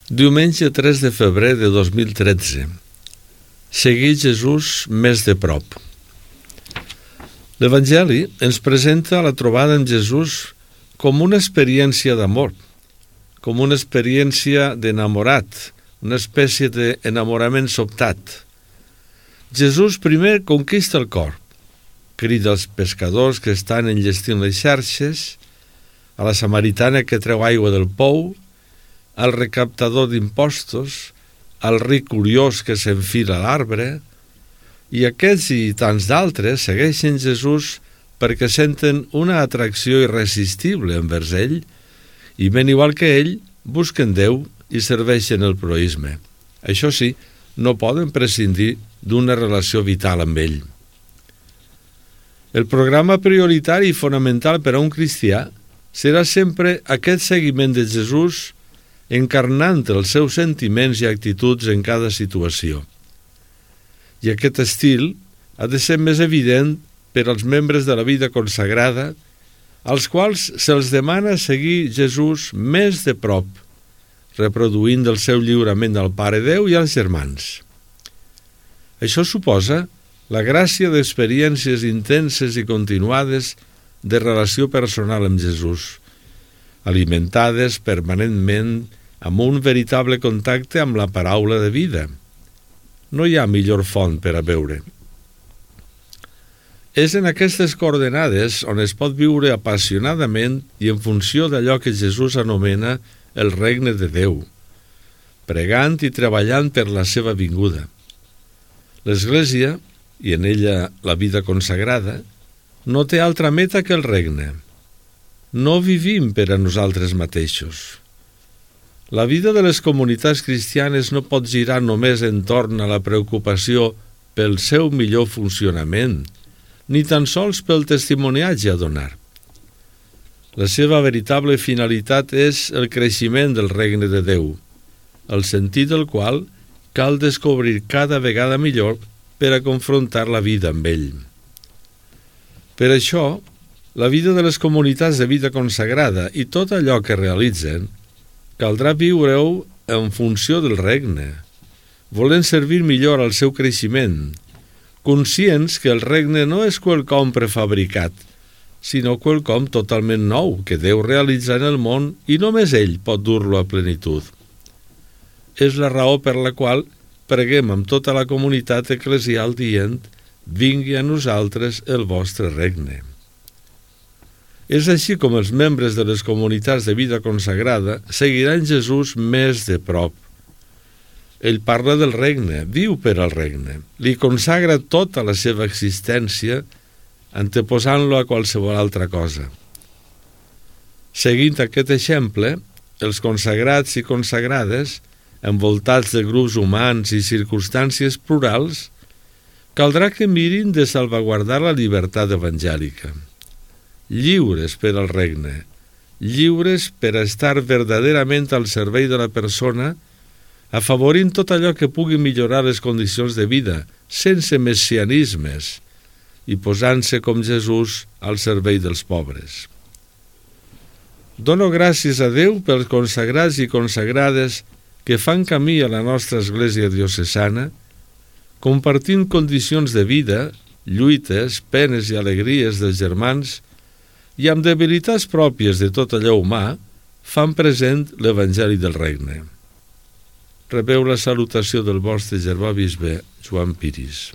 Diumenge 3 de febrer de 2013. Seguir Jesús més de prop. L'Evangeli ens presenta la trobada amb Jesús com una experiència d'amor, com una experiència d'enamorat, una espècie d'enamorament sobtat. Jesús primer conquista el cor, crida als pescadors que estan enllestint les xarxes, a la samaritana que treu aigua del pou, al recaptador d'impostos, al ric curiós que s'enfila a l'arbre, i aquests i tants d'altres segueixen Jesús perquè senten una atracció irresistible envers ell i, ben igual que ell, busquen Déu i serveixen el proïsme. Això sí, no poden prescindir d'una relació vital amb ell. El programa prioritari i fonamental per a un cristià serà sempre aquest seguiment de Jesús encarnant els seus sentiments i actituds en cada situació. I aquest estil ha de ser més evident per als membres de la vida consagrada, als quals se'ls demana seguir Jesús més de prop, reproduint el seu lliurament al Pare Déu i als germans. Això suposa la gràcia d'experiències intenses i continuades de relació personal amb Jesús, alimentades permanentment amb un veritable contacte amb la paraula de vida. No hi ha millor font per a beure. És en aquestes coordenades on es pot viure apassionadament i en funció d'allò que Jesús anomena el regne de Déu, pregant i treballant per la seva vinguda. L'Església, i en ella la vida consagrada, no té altra meta que el regne. No vivim per a nosaltres mateixos. La vida de les comunitats cristianes no pot girar només entorn a la preocupació pel seu millor funcionament, ni tan sols pel testimoniatge a donar. La seva veritable finalitat és el creixement del regne de Déu, el sentit del qual cal descobrir cada vegada millor per a confrontar la vida amb ell. Per això, la vida de les comunitats de vida consagrada i tot allò que realitzen caldrà viure-ho en funció del regne, volent servir millor al seu creixement, conscients que el regne no és quelcom prefabricat, sinó quelcom totalment nou que Déu realitza en el món i només ell pot dur-lo a plenitud. És la raó per la qual preguem amb tota la comunitat eclesial dient: vingui a nosaltres el vostre regne. És així com els membres de les comunitats de vida consagrada seguiran Jesús més de prop. Ell parla del regne, viu per al regne, li consagra tota la seva existència, anteposant-lo a qualsevol altra cosa. Seguint aquest exemple, els consagrats i consagrades, envoltats de grups humans i circumstàncies plurals, caldrà que mirin de salvaguardar la llibertat evangèlica. Lliures per al regne, lliures per a estar verdaderament al servei de la persona, afavorint tot allò que pugui millorar les condicions de vida, sense messianismes, i posant-se com Jesús al servei dels pobres. Dono gràcies a Déu pels consagrats i consagrades que fan camí a la nostra església diocesana, compartint condicions de vida, lluites, penes i alegries dels germans, i amb debilitats pròpies de tot allò humà, fan present l'Evangeli del Regne. Rebeu la salutació del vostre germà bisbe Joan Piris.